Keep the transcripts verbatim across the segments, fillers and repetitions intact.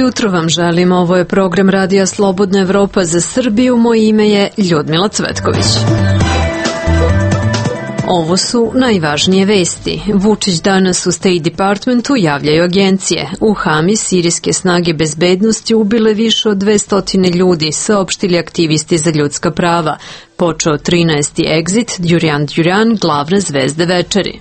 jutro vam želim, ovo je program Radija Slobodna Evropa za Srbiju, moje ime je Ljudmila Cvetković. Ovo su najvažnije vesti. Vučić danas u State Departmentu javljaju agencije. U Hami sirijske snage bezbednosti ubile više od dvesta ljudi, saopštili aktivisti za ljudska prava. Počeo trinaesti exit, Durian Durian, glavne zvezde večeri.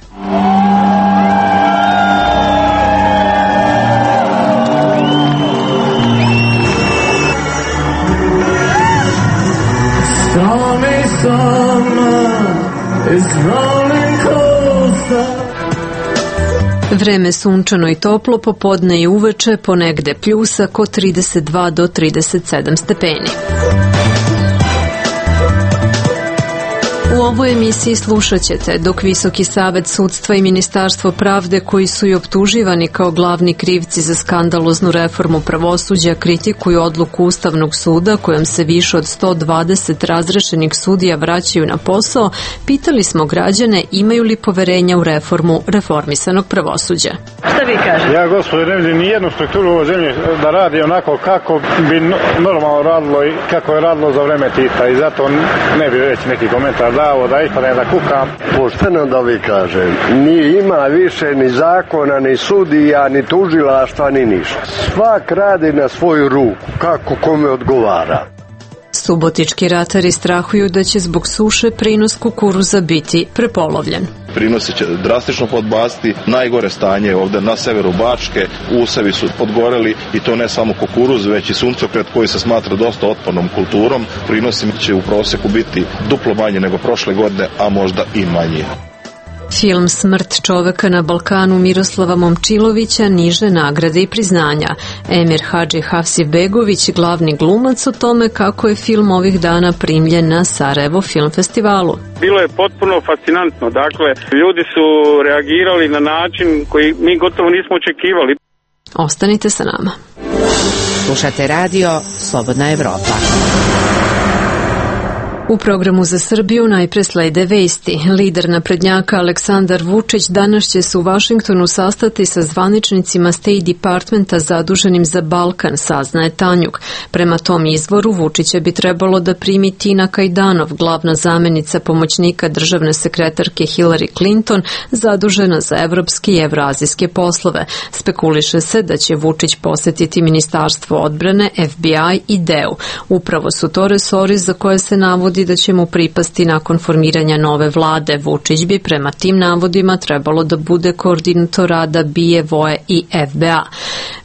Vreme sunčano i toplo, popodne i uveče, ponegde pljusak od trideset dva do trideset sedam stepeni. U ovoj emisiji slušat ćete dok Visoki savet sudstva i Ministarstvo pravde, koji su i optuživani kao glavni krivci za skandaloznu reformu pravosuđa, kritikuju odluku Ustavnog suda kojom se više od sto dvadeset razrešenih sudija vraćaju na posao, pitali smo građane imaju li poverenja u reformu reformisanog pravosuđa. Šta vi kažete? Ja, gospodine, ne vidim ni jednu strukturu u ovoj zemlji da radi onako kako bi normalno radilo i kako je radilo za vreme Tita, i zato ne bi reći neki komentar dao da ispadne da kukam. Pošteno da vi kažem, ni ima više ni zakona, ni sudija, ni tužilaštva, ni ništa. Svak radi na svoju ruku, kako kome odgovara. Subotički ratari strahuju da će zbog suše prinos kukuruza biti prepolovljen. Prinosi će drastično podbasti, najgore stanje ovde na severu Bačke, usevi su podgoreli i to ne samo kukuruz, već i suncokret koji se smatra dosta otpornom kulturom. Prinosi će u proseku biti duplo manje nego prošle godine, a možda i manje. Film Smrt čoveka na Balkanu Miroslava Momčilovića niže nagrade i priznanja. Emir Hadži Hafsibegović, glavni glumac, o tome kako je film ovih dana primljen na Sarajevo film festivalu. Bilo je potpuno fascinantno. Dakle, ljudi su reagirali na način koji mi gotovo nismo očekivali. Ostanite sa nama. Slušate radio Slobodna Evropa. U programu za Srbiju najpre slede vesti. Lider naprednjaka Aleksandar Vučić danas će se u Vašingtonu sastati sa zvaničnicima State Departmenta zaduženim za Balkan, saznaje Tanjug. Prema tom izvoru Vučića bi trebalo da primi Tina Kajdanov, glavna zamenica pomoćnika državne sekretarke Hillary Clinton, zadužena za evropske i evroazijske poslove. Spekuliše se da će Vučić posetiti Ministarstvo odbrane, F B I i D E U. Upravo su to resori za koje se navodi da će mu pripasti nakon formiranja nove vlade. Vučić bi prema tim navodima trebalo da bude koordinator rada B I A, V O E i F B A.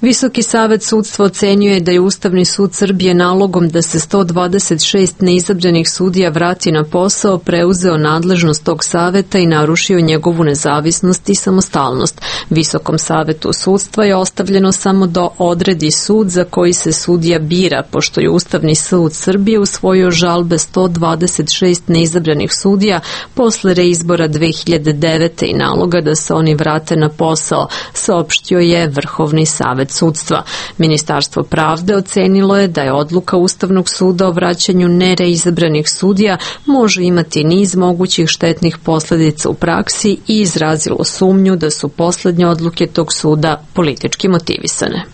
Visoki savet sudstva ocenjuje da je Ustavni sud Srbije nalogom da se sto dvadeset šest neizabranih sudija vrati na posao preuzeo nadležnost tog saveta i narušio njegovu nezavisnost i samostalnost. Visokom savetu sudstva je ostavljeno samo da odredi sud za koji se sudija bira, pošto je Ustavni sud Srbije usvojio žalbe sto dvadeset šest neizabranih sudija posle reizbora dve hiljade devete. i naloga da se oni vrate na posao, saopštio je Vrhovni savet sudstva. Ministarstvo pravde ocenilo je da je odluka Ustavnog suda o vraćanju nereizabranih sudija može imati niz mogućih štetnih posledica u praksi i izrazilo sumnju da su poslednje odluke tog suda politički motivisane.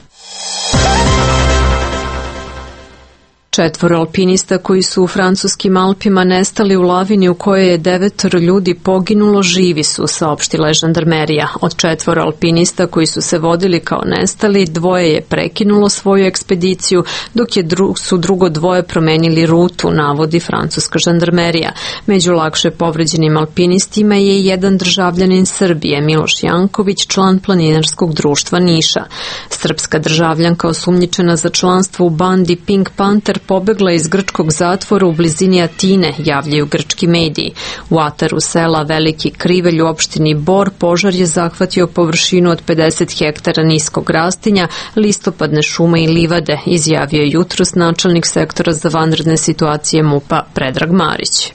Četvoro alpinista koji su u francuskim Alpima nestali u lavini u kojoj je devetoro ljudi poginulo živi su, saopštila je žandarmerija. Od četvoro alpinista koji su se vodili kao nestali, dvoje je prekinulo svoju ekspediciju, dok je dru, su drugo dvoje promenili rutu, navodi francuska žandarmerija. Među lakše povređenim alpinistima je i jedan državljanin Srbije, Miloš Janković, član planinarskog društva Niša. Srpska državljanka osumnjičena za članstvo u bandi Pink Panther pobegla iz grčkog zatvora u blizini Atine, javljaju grčki mediji. U ataru sela Veliki Krivelj u opštini Bor požar je zahvatio površinu od pedeset hektara niskog rastinja, listopadne šume i livade, izjavio je jutros načelnik sektora za vanredne situacije MUP-a Predrag Marić.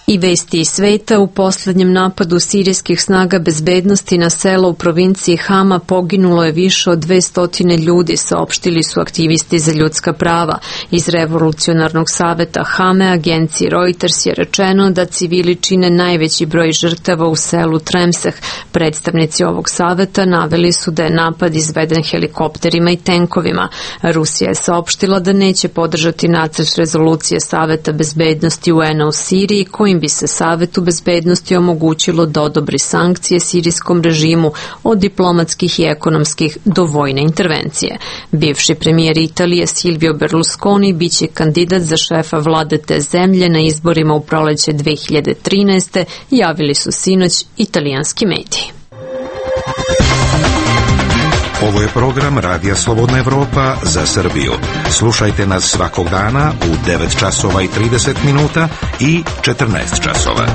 I vesti iz sveta: u posljednjem napadu sirijskih snaga bezbednosti na selo u provinciji Hama poginulo je više od dvesta ljudi, saopštili su aktivisti za ljudska prava. Iz Revolucionarnog saveta Hame agenciji Reuters je rečeno da civili čine najveći broj žrtava u selu Tremseh. Predstavnici ovog saveta naveli su da je napad izveden helikopterima i tenkovima. Rusija je saopštila da neće podržati nacrt rezolucije Saveta bezbednosti U N-a u Siriji, kojim bi se Savetu bezbednosti omogućilo da odobri sankcije sirijskom režimu od diplomatskih i ekonomskih do vojne intervencije. Bivši premijer Italije Silvio Berlusconi biće kandidat za šefa vlade te zemlje na izborima u proleće dve hiljade trinaeste. javili su sinoć italijanski mediji. Ovo je program Radija Slobodna Evropa za Srbiju. Slušajte nas svakog dana u devet časova i trideset minuta i četrnaest časova.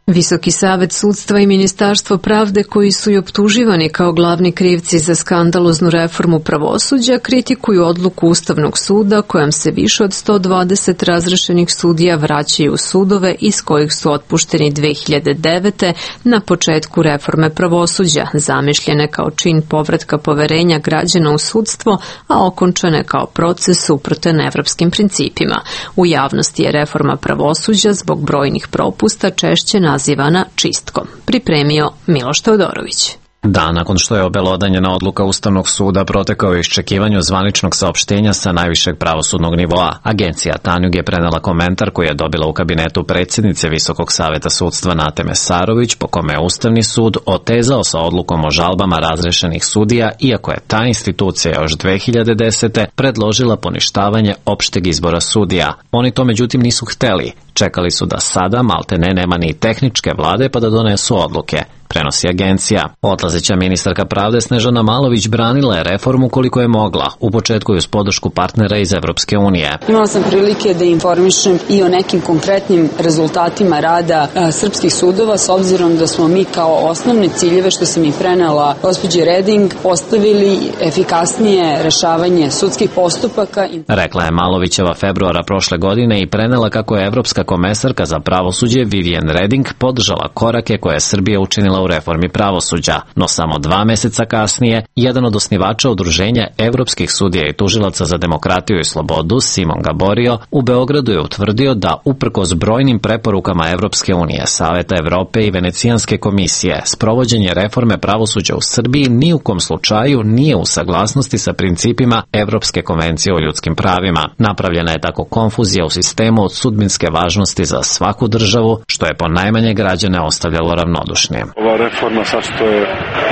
Visoki savet sudstva i Ministarstvo pravde, koji su i optuživani kao glavni krivci za skandaloznu reformu pravosuđa, kritikuju odluku Ustavnog suda kojom se više od sto dvadeset razrešenih sudija vraćaju u sudove iz kojih su otpušteni dve hiljade devete. na početku reforme pravosuđa, zamišljene kao čin povratka poverenja građana u sudstvo, a okončane kao proces suprotan evropskim principima. U javnosti je reforma pravosuđa zbog brojnih propusta češće nazivana čistkom. Pripremio Miloš Teodorović. Dan nakon što je obelodanjena odluka Ustavnog suda protekao je iščekivanju zvaničnog saopštenja sa najvišeg pravosudnog nivoa. Agencija Tanjug je prenela komentar koji je dobila u kabinetu predsjednice Visokog saveta sudstva Nate Mesarović, po kome je Ustavni sud otezao sa odlukom o žalbama razrešenih sudija, iako je ta institucija još dve hiljade desete. predložila poništavanje opšteg izbora sudija. Oni to međutim nisu hteli. Čekali su da sada maltene nema ni tehničke vlade pa da donesu odluke, prenosi agencija. Odlazeća ministarka pravde Snežana Malović branila je reformu koliko je mogla, u početku i uz podršku partnera iz Evropske unije. Imala sam prilike da informišem i o nekim konkretnim rezultatima rada a, srpskih sudova, s obzirom da smo mi kao osnovne ciljeve, što sam i prenela gospođi Reding, postavili efikasnije rešavanje sudskih postupaka. Rekla je Malovićeva februara prošle godine i prenela kako je Evropska komesarka za pravosuđe Vivian Reding podržala korake koje je Srbija učinila u reformi pravosuđa, no samo dva meseca kasnije, jedan od osnivača udruženja evropskih sudija i tužilaca za demokratiju i slobodu, Simon Gaborio, u Beogradu je utvrdio da, uprkos brojnim preporukama Evropske unije, Saveta Evrope i Venecijanske komisije, sprovođenje reforme pravosuđa u Srbiji ni u kom slučaju nije u saglasnosti sa principima Evropske konvencije o ljudskim pravima. Napravljena je tako konfuzija u sistemu od sudbinske važnosti za svaku državu, što je po najmanje građane ostavljalo ravnodušnim. Ova reforma sad što je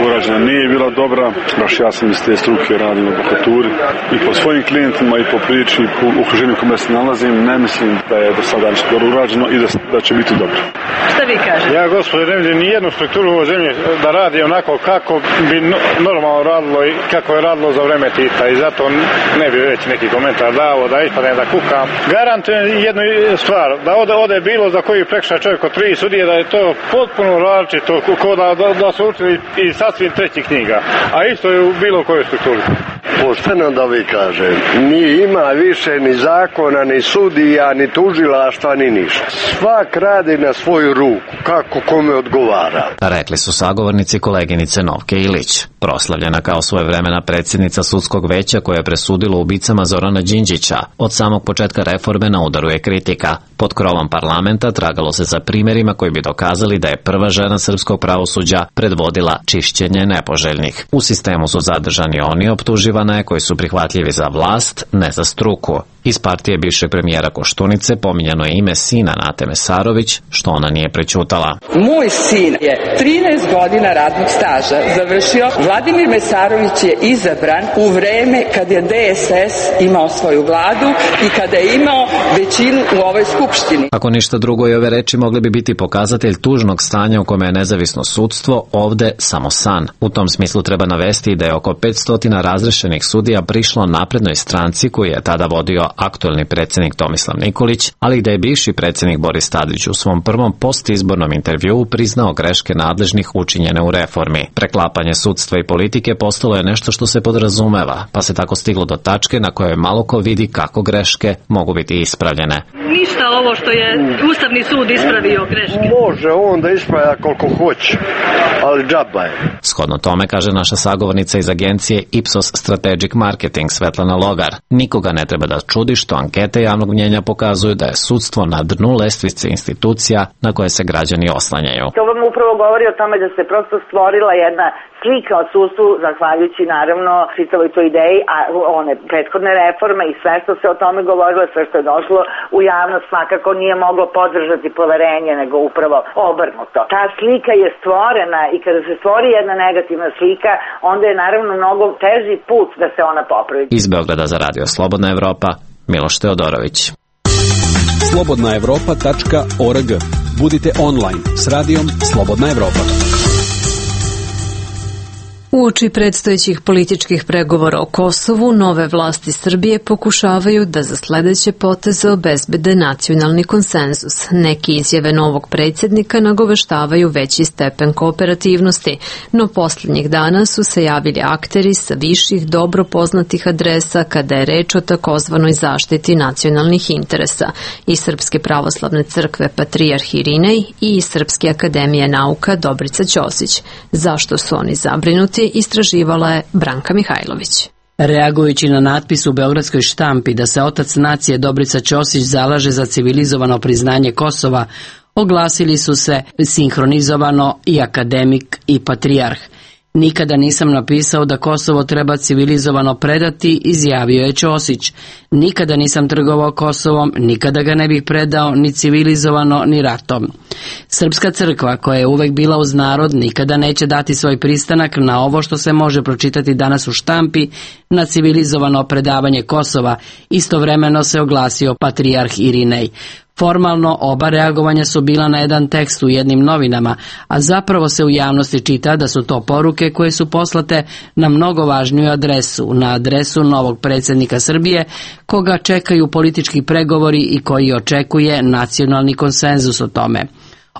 urađena nije bila dobra, baš ja sam iz te struke radim u advokaturi i po svojim klijentima i po priči i po okruženju kome se nalazim, ne mislim da je do sada nešto dobro urađeno i da, da će biti dobro. Šta vi kažete? Ja, gospodine, ne vidim ni jednu strukturu u ovoj zemlji da radi onako kako bi normalno radilo i kako je radilo za vreme Tita i zato ne bi već neki komentar dao, da ispadne da kukam. Garantujem jednu stvar, da ode, ode bilo za koji prekršaj čovjek od tri sudije, da je to potpuno različito, ko da, da, da su učili i sasvim trećih knjiga, a isto je u bilo kojoj strukturi. Pošteno da vi kažem, nije ima više ni zakona, ni sudija, ni tužilaštva, ni ništa. Svak radi na svoju ruku, kako kome odgovara. Rekli su sagovornici koleginice Novke Ilić. Proslavljena kao svojevremena predsjednica sudskog veća koje je presudilo ubicama Zorana Đinđića, od samog početka reforme na udaru je kritika. Pod krovom parlamenta tragalo se za primjerima koji bi dokazali da je prva žena srpskog pravosuđa predvodila čišćenje nepoželjnih. U sistemu su zadržani oni optuživane koji su prihvatljivi za vlast, ne za struku. Iz partije bivšeg premijera Koštunice pominjano je ime sina Nate Mesarović, što ona nije prećutala. Moj sin je trinaest godina radnog staža završio. Vladimir Mesarović je izabran u vreme kad je D S S imao svoju vladu i kada je imao većinu u ovoj skupštini. Ako ništa drugo, i ove reči mogle bi biti pokazatelj tužnog stanja u kome je nezavisno sudstvo ovde samo san. U tom smislu treba navesti da je oko petsto razrešenih sudija prišlo naprednoj stranci koju je tada vodio aktuelni predsjednik Tomislav Nikolić, ali i da je bivši predsjednik Boris Tadić u svom prvom postizbornom intervjuu priznao greške nadležnih učinjene u reformi. Preklapanje sudstva i politike postalo je nešto što se podrazumeva, pa se tako stiglo do tačke na kojoj malo ko vidi kako greške mogu biti ispravljene. Ništa ovo što je Ustavni sud ispravio greške. Može on da ispravlja koliko hoće, ali džaba je. Shodno tome, kaže naša sagovornica iz agencije Ipsos Strategic Marketing Svetlana Logar, nikoga ne treba da čudi što ankete javnog mnjenja pokazuju da je sudstvo na dnu lestvice institucija na koje se građani oslanjaju. To vam upravo govori o tome da se prosto stvorila jedna slika o sudstvu, zahvaljujući naravno čitavoj toj ideji, a one prethodne reforme i sve što se o tome govorilo, sve što je došlo u javnost svakako nije moglo podržati poverenje, nego upravo obrnuto. Ta slika je stvorena i kada se stvori jedna negativna slika, onda je naravno mnogo teži put da se ona popravi. Iz Beograda za Radio Slobodna Evropa, Miloš Teodorović. slobodna evropa tačka org. Budite online s radijom Slobodna Evropa. Uoči predstojećih političkih pregovora o Kosovu, nove vlasti Srbije pokušavaju da za sledeće poteze obezbede nacionalni konsenzus. Neki izjave novog predsjednika nagoveštavaju veći stepen kooperativnosti, no posljednjih dana su se javili akteri sa viših dobro poznatih adresa kada je reč o takozvanoj zaštiti nacionalnih interesa i Srpske pravoslavne crkve Patrijarh Irinej i iz Srpske akademije nauka Dobrica Ćosić. Zašto su oni zabrinuti? Istraživala je Branka Mihajlović. Reagujući na natpis u beogradskoj štampi da se otac nacije Dobrica Ćosić zalaže za civilizovano priznanje Kosova, oglasili su se sinhronizovano i akademik i patrijarh. Nikada nisam napisao da Kosovo treba civilizovano predati, izjavio je Ćosić. Nikada nisam trgovao Kosovom, nikada ga ne bih predao ni civilizovano ni ratom. Srpska crkva, koja je uvek bila uz narod, nikada neće dati svoj pristanak na ovo što se može pročitati danas u štampi, na civilizovano predavanje Kosova. Istovremeno se oglasio patrijarh Irinej. Formalno oba reagovanja su bila na jedan tekst u jednim novinama, a zapravo se u javnosti čita da su to poruke koje su poslate na mnogo važniju adresu, na adresu novog predsjednika Srbije, koga čekaju politički pregovori i koji očekuje nacionalni konsenzus o tome.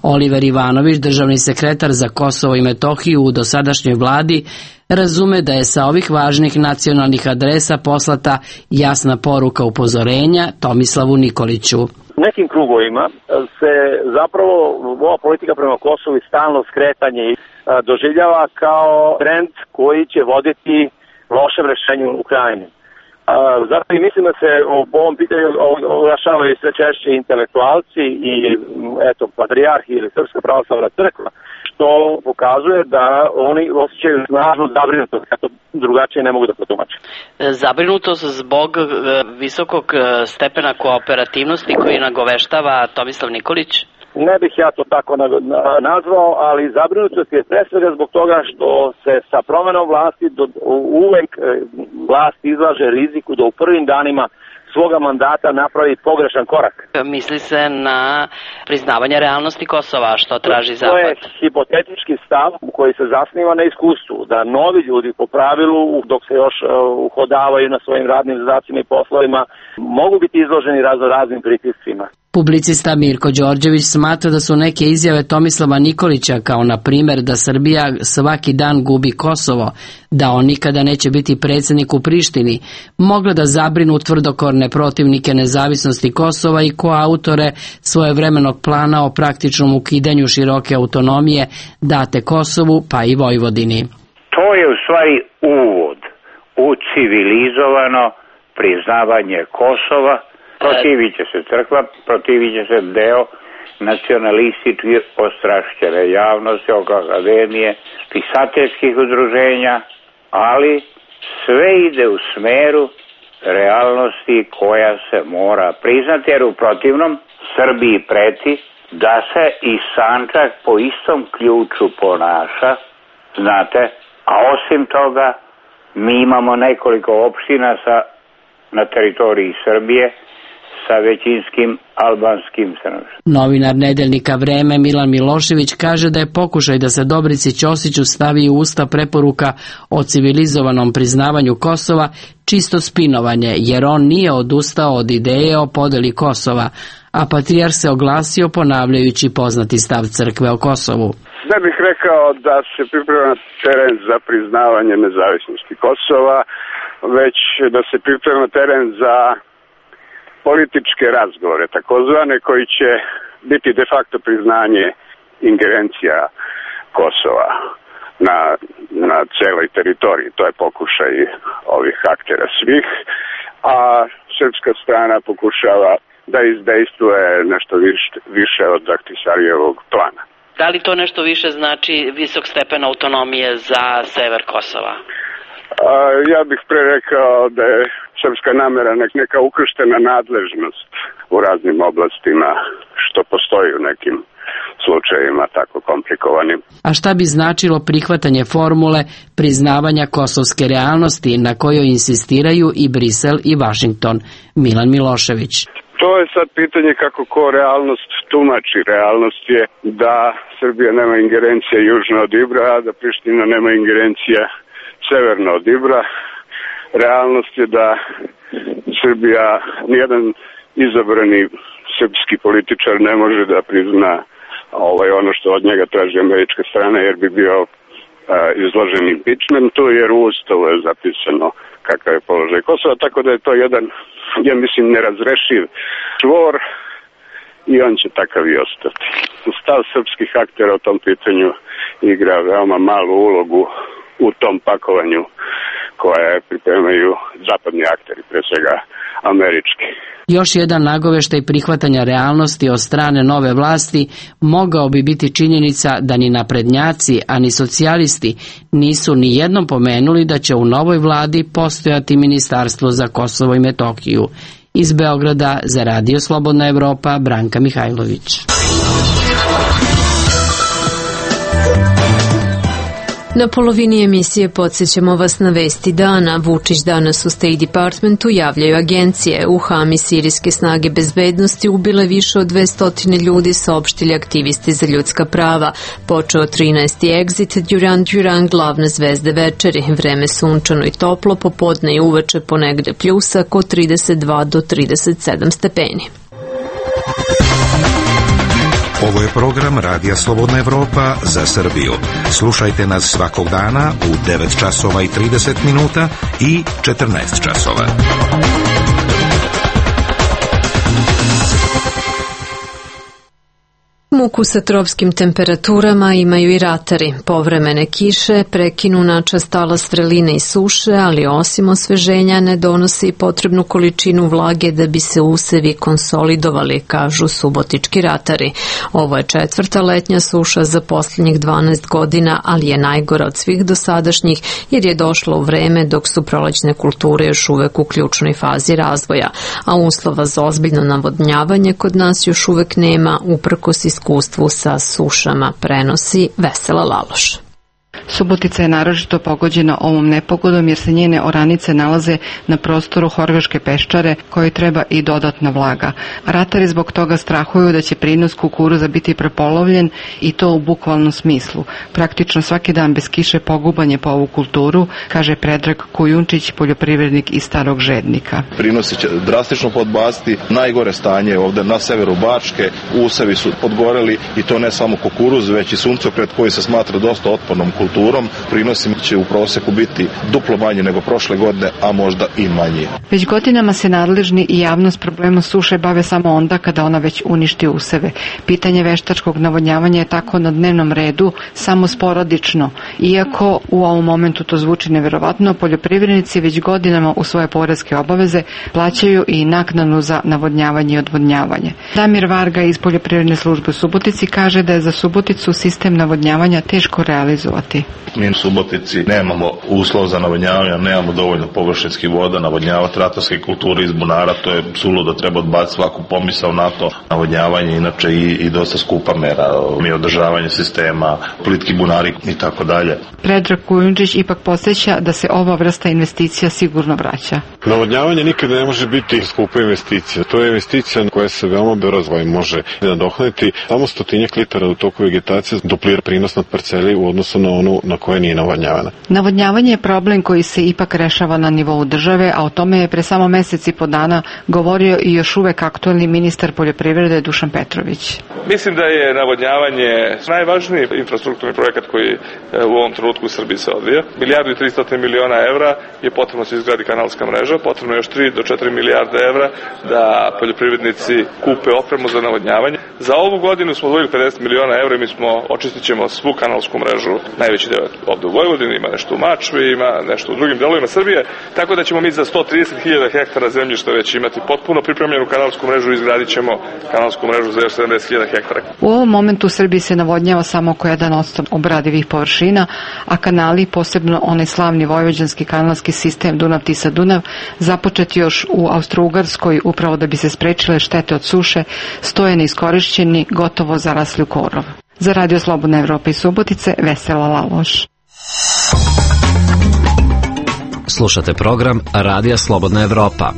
Oliver Ivanović, državni sekretar za Kosovo i Metohiju u dosadašnjoj vladi, razume da je sa ovih važnih nacionalnih adresa poslata jasna poruka upozorenja Tomislavu Nikoliću. U nekim krugovima se zapravo ova politika prema Kosovu i stalno skretanje doživljava kao trend koji će voditi lošem rešenju u Ukrajini. Zato i mislim da se o ovom pitanju oglašavaju sve češće intelektualci i eto patrijarh ili Srpska pravoslavna crkva, što pokazuje da oni osjećaju snažnu zabrinutost, kako drugačije ne mogu da protumače. Zabrinutost zbog visokog stepena kooperativnosti koji nagoveštava Tomislav Nikolić? Ne bih ja to tako nazvao, ali zabrinutost je pre svega zbog toga što se sa promenom vlasti do, uvek vlast izlaže riziku da u prvim danima svoga mandata napravi pogrešan korak. Misli se na priznavanje realnosti Kosova, što traži Zapad. To je hipotetički stav koji se zasniva na iskustvu, da novi ljudi po pravilu, dok se još uhodavaju na svojim radnim zadacima i poslovima, mogu biti izloženi razno raznim pritiscima. Publicista Mirko Đorđević smatra da su neke izjave Tomislava Nikolića, kao na primjer da Srbija svaki dan gubi Kosovo, da on nikada neće biti predsjednik u Prištini, mogle da zabrinu tvrdokorne protivnike nezavisnosti Kosova i koautore svojevremenog plana o praktičnom ukidanju široke autonomije date Kosovu pa i Vojvodini. To je u stvari uvod u civilizovano priznavanje Kosova. Protivit će se crkva, protivit će se deo nacionalistički ostrašćene javnosti, oko akademije, pisateljskih udruženja, ali sve ide u smeru realnosti koja se mora priznati, jer u protivnom Srbiji preti da se i Sandžak po istom ključu ponaša, znate, a osim toga mi imamo nekoliko opština sa, na teritoriji Srbije sa većinskim albanskim stanovništvom. Novinar nedeljnika Vreme Milan Milošević kaže da je pokušaj da se Dobrici Ćosiću stavi u usta preporuka o civilizovanom priznavanju Kosova čisto spinovanje, jer on nije odustao od ideje o podeli Kosova, a patrijarh se oglasio ponavljajući poznati stav crkve o Kosovu. Ne bih rekao da se priprema teren za priznavanje nezavisnosti Kosova, već da se priprema teren za političke razgovore, takozvane, koji će biti de facto priznanje ingerencija Kosova na, na celoj teritoriji. To je pokušaj ovih aktera svih, a srpska strana pokušava da izdejstvuje nešto više, više od Ahtisarijevog plana. Da li to nešto više znači visok stepen autonomije za sever Kosova? A, ja bih pre rekao da je srpska namera nek neka ukrštena nadležnost u raznim oblastima, što postoji u nekim slučajevima tako komplikovanim. A šta bi značilo prihvatanje formule priznavanja kosovske realnosti na kojoj insistiraju i Brisel i Vašington? Milan Milošević. To je sad pitanje kako ko realnost tumači. Realnost je da Srbija nema ingerencija južno od Ibra, a da Priština nema ingerencija severno od Ibra. Realnost je da Srbija, nijedan izabrani srpski političar ne može da prizna ovaj, ono što od njega traži američka strana, jer bi bio a, izložen impeachmentu, jer u Ustavu je zapisano kakav je položaj Kosova, tako da je to jedan, ja mislim, nerazrešiv čvor i on će takav i ostati. Stav srpskih aktera o tom pitanju igra veoma malu ulogu u tom pakovanju koje pripremaju zapadni akteri, pre svega američki. Još jedan nagoveštaj prihvatanja realnosti od strane nove vlasti mogao bi biti činjenica da ni naprednjaci, a ni socijalisti nisu ni jednom pomenuli da će u novoj vladi postojati Ministarstvo za Kosovo i Metohiju. Iz Beograda za Radio Slobodna Evropa, Branka Mihajlović. Na polovini emisije podsjećamo vas na vesti dana. Vučić danas u State Departmentu javljaju agencije. U Hami sirijske snage bezbednosti ubile više od dvesta ljudi, saopštili aktivisti za ljudska prava. Počeo trinaesti exit, Duran Duran, glavne zvezde večeri. Vreme sunčano i toplo, popodne i uveče ponegde pljusak od trideset dva do trideset sedam stepeni. Ovo je program Radija Slobodna Evropa za Srbiju. Slušajte nas svakog dana u devet časova i trideset minuta i četrnaest časova. Muku sa tropskim temperaturama imaju i ratari. Povremene kiše prekinu načas talas vreline i suše, ali osim osveženja ne donosi i potrebnu količinu vlage da bi se usevi konsolidovali, kažu subotički ratari. Ovo je četvrta letnja suša za posljednjih dvanaest godina, ali je najgora od svih dosadašnjih jer je došla u vreme dok su prolećne kulture još uvek u ključnoj fazi razvoja, a uslova za ozbiljno navodnjavanje kod nas još uvek nema, uprkos iskustvu sa sušama, prenosi Vesela Laloš. Subotica je naročito pogođena ovom nepogodom jer se njene oranice nalaze na prostoru Horgaške peščare kojoj treba i dodatna vlaga. Ratari zbog toga strahuju da će prinos kukuruza biti prepolovljen i to u bukvalnom smislu. Praktično svaki dan bez kiše poguban je po ovu kulturu, kaže Predrag Kujunčić, poljoprivrednik iz Starog Žednika. Prinosi će drastično podbasti, najgore stanje ovde na severu Bačke, usevi su podgoreli i to ne samo kukuruz, već i suncokret koji se smatra dosta otpornom kulturom. Prinosi će u proseku biti duplo manje nego prošle godine, a možda i manje. Već godinama se nadležni i javnost problemom suše bave samo onda kada ona već uništi useve. Pitanje veštačkog navodnjavanja je tako na dnevnom redu, samo sporadično. Iako u ovom momentu to zvuči neverovatno, poljoprivrednici već godinama u svoje poreske obaveze plaćaju i naknadu za navodnjavanje i odvodnjavanje. Damir Varga iz poljoprivredne službe u Subotici kaže da je za Suboticu sistem navodnjavanja teško realizovati. Mi u Subotici nemamo uslov za navodnjavanje, nemamo dovoljno površinskih voda, navodnjavati ratarske kulture iz bunara, to je suludo, treba odbaciti svaku pomisao na to. Navodnjavanje inače i, i dosta skupa mera, mi održavanje sistema, plitki bunari i tako dalje. Predrag Kujundžić ipak podsjeća da se ova vrsta investicija sigurno vraća. Navodnjavanje nikad ne može biti skupa investicija. To je investicija koja se veoma brzo može nadoknaditi. Samo stotinjak litara u toku vegetacije duplira prinos nad parceli u odnosu na onu na koja nije navodnjavana. Navodnjavanje je problem koji se ipak rešava na nivou države, a o tome je pre samo mesec i po dana govorio i još uvek aktuelni ministar poljoprivrede Dušan Petrović. Mislim da je navodnjavanje najvažniji infrastrukturni projekat koji u ovom trenutku u Srbiji se odvija. Milijardu i tristo miliona evra je potrebno se izgradi kanalska mreža, potrebno je još tri do četiri milijarde evra da poljoprivrednici kupe opremu za navodnjavanje. Za ovu godinu smo odvojili pedeset miliona evra i mi smo očistit ćemo svu kanalsku mrežu, najveći deo ovde u Vojvodini, ima nešto u Mačvi, ima nešto u drugim delovima Srbije, tako da ćemo mi za sto trideset hiljada hektara zemljišta već imati potpuno pripremljenu kanalsku mrežu i izgradit ćemo kanalsku mrežu za još sedamdeset hiljada hektara. U ovom momentu u Srbiji se navodnjava samo oko jedan posto obradivih površina, a kanali, posebno onaj slavni vojvođanski kanalski sistem Dunav-Tisa-Dunav, započet još u Austro-Ugarskoj upravo da bi se sprečile štete od suše, stoje neiskorišćeni, gotovo zarasli u korov. Za Radio Slobodna Evropa iz Subotice, Vesela Laloš. Slušate program Radija Slobodna Evropa.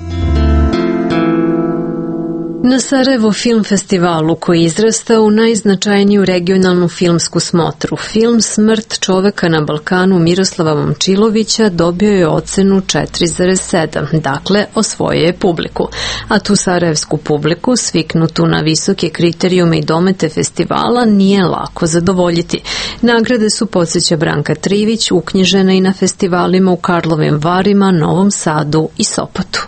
Na Sarajevo film festivalu koji izrasta u najznačajniju regionalnu filmsku smotru, film Smrt čoveka na Balkanu Miroslava Momčilovića dobio je ocenu četiri zarez sedam, dakle osvojio je publiku. A tu sarajevsku publiku, sviknutu na visoke kriterijume i domete festivala, nije lako zadovoljiti. Nagrade su, podsjeća Branka Trivić, uknjižene i na festivalima u Karlovim Varima, Novom Sadu i Sopotu.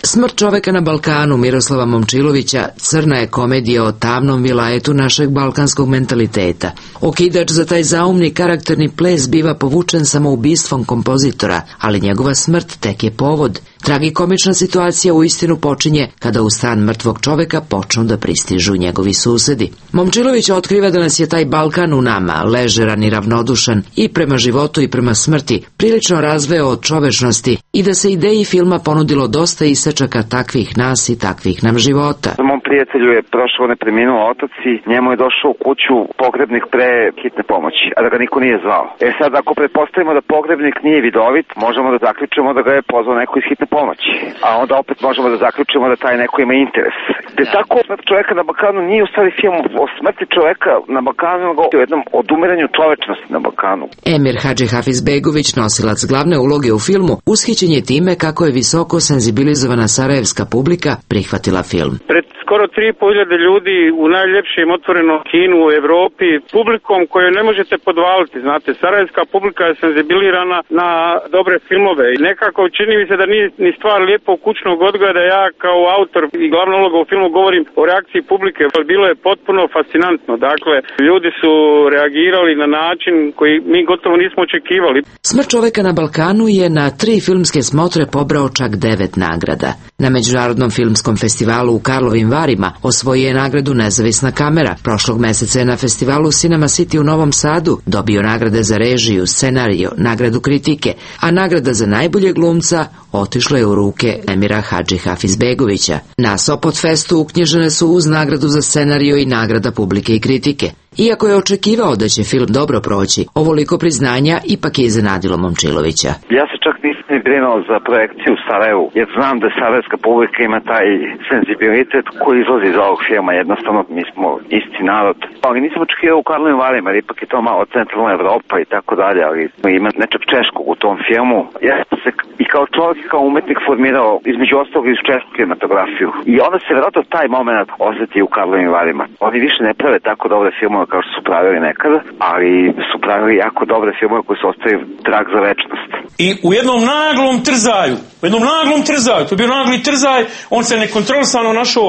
Smrt čoveka na Balkanu Miroslava Momčilovića crna je komedija o tamnom vilajetu našeg balkanskog mentaliteta. Okidač za taj zaumni karakterni ples biva povučen samoubistvom kompozitora, ali njegova smrt tek je povod. Tragikomična situacija u istinu počinje kada u stan mrtvog čoveka počnu da pristižu njegovi susedi. Momčilović otkriva da nas je taj Balkan u nama, ležeran i ravnodušan i prema životu i prema smrti, prilično razveo od čovečnosti i da se ideji filma ponudilo dosta isečaka takvih nas i takvih nam života. Mom prijatelju je prošao ne preminuo otac i njemu je došao u kuću pogrebnik pre hitne pomoći, a da ga niko nije zvao. E sad, ako pretpostavimo da pogrebnik nije vidovit, možemo da zaključimo da ga je pozvao neko iz hitne pomoći, a onda opet možemo da zaključimo da taj neko ima interes. Te tako Smrt čoveka na Balkanu nije u stvari film o smrti čoveka na Balkanu, nego o jednom odumiranju čovečnosti na Balkanu. Emir Hadži Hafizbegović, nosilac glavne uloge u filmu, ushićen je time kako je visoko senzibilizovana sarajevska publika prihvatila film. Pred skoro tri i po hiljade ljudi u najljepšem otvorenom kinu u Evropi, publikom koju ne možete podvaliti, znate, sarajevska publika je senzibilirana na dobre filmove i nekako čini mi se da nije ni stvar lijepo kućnog odgoja da ja kao autor i glavna uloga u filmu govorim o reakciji publike. Bilo je potpuno fascinantno, dakle, ljudi su reagirali na način koji mi gotovo nismo očekivali. Smrt čoveka na Balkanu je na tri filmske smotre pobrao čak devet nagrada. Na Međunarodnom filmskom festivalu u Karlovim Varima osvojio je nagradu Nezavisna kamera. Prošlog meseca je na festivalu Cinema City u Novom Sadu dobio nagrade za režiju, scenario, nagradu kritike, a nagrada za najbolje glumca otišla je u ruke Emira Hadži Hafizbegovića. Na Sopot festu uknjižene su uz nagradu za scenario i nagrada publike i kritike. Iako je očekivao da će film dobro proći, ovoliko priznanja ipak je iznenadilo Momčilovića. Ja se čak nisam ni brinuo za projekciju u Sarajevu, jer znam da sarajevska publika ima taj senzibilitet koji izlazi iz ovog filma. Jednostavno, mi smo isti narod. Ali nisam očekivao u Karlovim Varima, jer ipak je to malo centralna Evropa i tako dalje, ali ima nečeg češkog u tom filmu. Ja sam se i kao čovjek i kao umetnik formirao između ostalog iz češku kinematografiju. I onda se vjerojatno taj moment osjeti u Karlovim Varima. Oni više ne prave tako dobre filmove kao što su pravili nekada, ali su pravili jako dobre filmove koji su ostavili trag za večnost. I u jednom naglom trzaju, u jednom naglom trzaju, to je bio nagli trzaj, on se nekontrolisano našao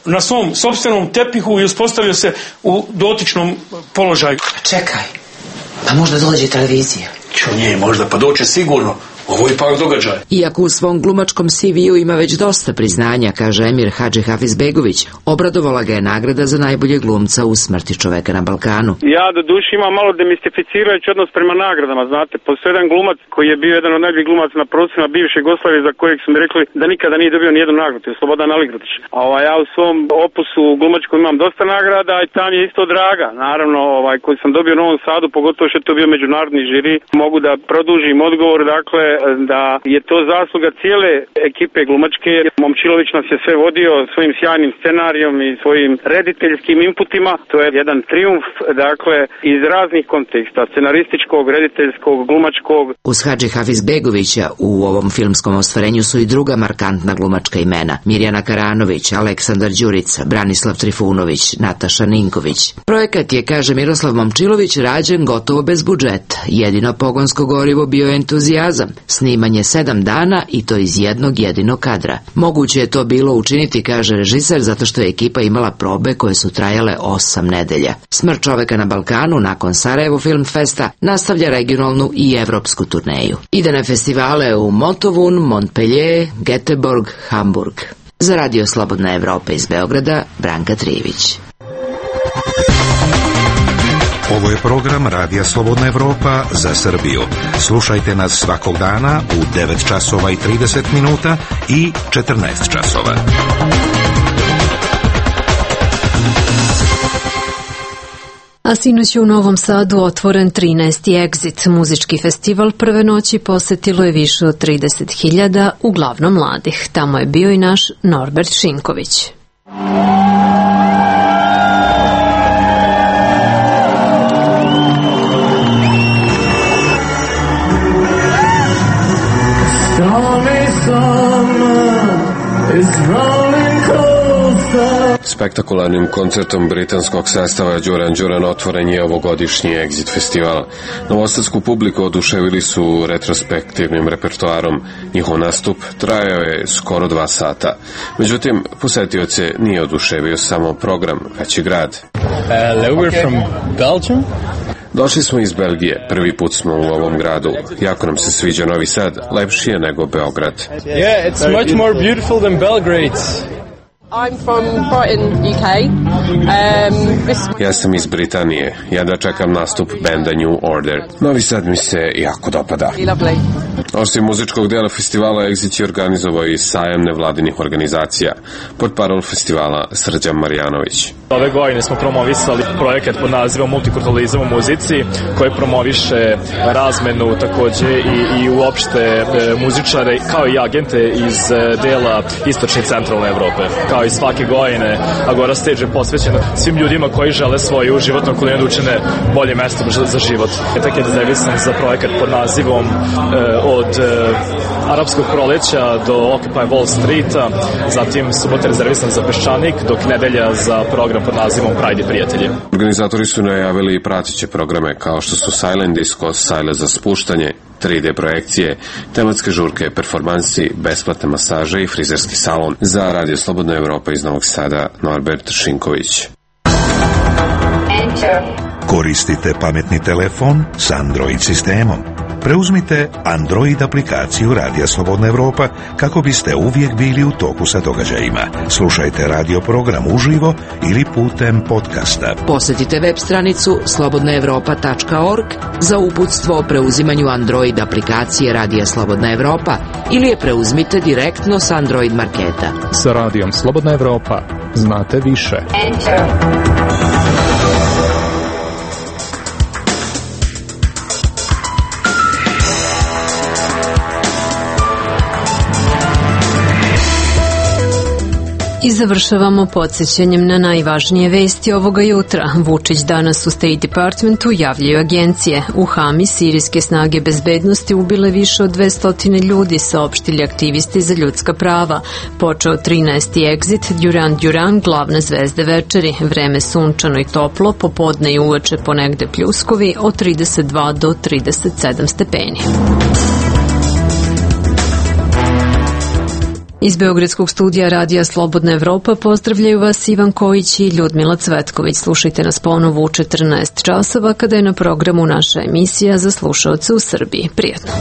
na svom sopstvenom tepihu i uspostavio se u dotičnom položaju. Čekaj, pa možda dođe televizija. Čo nije možda, pa doće sigurno. Ovo je ipak događaj. Iako u svom glumačkom C V-u ima već dosta priznanja, kaže emir Hadži Hafizbegović, obradovala ga je nagrada za najbolje glumca u Smrti čoveka na Balkanu. Ja do duše imam malo demistificirajući odnos prema nagradama, znate. Postoji jedan glumac koji je bio jedan od najboljih glumaca na prostorima bivše Jugoslavije, za kojeg su mi rekli da nikada nije dobio nijednu nagradu, je Slobodan Aligradić. A ovaj, ja u svom opusu glumačkom imam dosta nagrada i tam je isto draga. Naravno, ovaj, koji sam dobio u Novom Sadu, pogotovo što je to bio međunarodni žiri, mogu da produžim odgovor, dakle, da je to zasluga cijele ekipe glumačke. Momčilović nas je sve vodio svojim sjajnim scenarijom i svojim rediteljskim inputima. To je jedan trijumf, dakle, iz raznih konteksta, scenarističkog, rediteljskog, glumačkog. Uz Hadži Hafizbegovića u ovom filmskom ostvarenju su i druga markantna glumačka imena: Mirjana Karanović, Aleksandar Đurica, Branislav Trifunović, Nataša Ninković. Projekat je, kaže Miroslav Momčilović, rađen gotovo bez budžeta. Jedino pogonsko gorivo bio je entuzijazam. Snimanje sedam dana i to iz jednog jedinog kadra. Moguće je to bilo učiniti, kaže režiser, zato što je ekipa imala probe koje su trajale osam nedelja. Smrt čoveka na Balkanu nakon Sarajevo Film Festa nastavlja regionalnu i evropsku turneju. Ide na festivale u Motovun, Montpellier, Göteborg, Hamburg. Za Radio Slobodna Evropa iz Beograda, Branka Trijević. Ovo je program Radija Slobodna Evropa za Srbiju. Slušajte nas svakog dana u devet časova i trideset minuta i četrnaest časova. A sinoć je u Novom Sadu otvoren trinaesti Exit. Muzički festival prve noći posetilo je više od trideset hiljada, uglavnom mladih. Tamo je bio i naš Norbert Šinković. Spektakularnim koncertom britanskog sastava Đuran Đuran otvoren je ovogodišnji Exit festival. Novosadsku publiku oduševili su retrospektivnim repertoarom. Njihov nastup trajao je skoro dva sata. Međutim, posetioce nije oduševio samo program, već i grad. Hello, we're from Belgium. Došli smo iz Belgije, prvi put smo u ovom gradu. Jako nam se sviđa Novi Sad, lepši je nego Beograd. Yeah, it's much more beautiful than Belgrade. I'm from Brighton, U K. Um, this... Ja sam iz Britanije. Ja da čekam nastup benda New Order. Novi Sad mi se jako dopada. Lovely. Osim muzičkog dela festivala, Exit je organizovao i sajam nevladinih organizacija. Pod parol festivala Srđan Marjanović. Ove godine smo promovisali projekat pod nazivom Multikulturalizam u muzici, koji promoviše razmenu takođe i, i uopšte e, muzičare kao i agente iz e, dela istočne i centralne Evrope. Kao i svake godine, Agora Stage je posvećena svim ljudima koji žele svoju životnu okolinu da učine bolje mesto za život. Etak je rezervisan za projekat pod nazivom e, od e, Arapskog proleća do Occupy Wall Streeta, zatim subota rezervisan za Peščanik, dok nedelja za program pod nazivom Pride i prijatelji. Organizatori su najavili i pratiće programe kao što su Silent Disco, Sajle za spuštanje, tri D projekcije, tematske žurke, performansi, besplatne masaže i frizerski salon. Za Radio Slobodna Evropa iz Novog Sada, Norbert Šinković. Koristite pametni telefon s Android sistemom. Preuzmite Android aplikaciju Radija Slobodna Evropa kako biste uvijek bili u toku sa događajima. Slušajte radio program uživo ili putem podcasta. Posjetite web stranicu slobodna evropa tačka org za uputstvo o preuzimanju Android aplikacije Radija Slobodna Evropa ili je preuzmite direktno s Android marketa. Sa Radijom Slobodna Evropa znate više. Enter. I završavamo podsjećanjem na najvažnije vesti ovoga jutra. Vučić danas u State Departmentu javljaju agencije. U Hami sirijske snage bezbednosti ubile više od dvesta ljudi, saopštili aktivisti za ljudska prava. Počeo trinaesti Exit, Duran Duran, glavne zvezde večeri. Vreme sunčano i toplo, popodne i uveče ponegde pljuskovi od trideset dva do trideset sedam stepeni. Iz Beogradskog studija Radija Slobodna Evropa pozdravljaju vas Ivan Kojić i Ljudmila Cvetković. Slušajte nas ponovo u četrnaest časova kada je na programu naša emisija za slušaoce u Srbiji. Prijatno.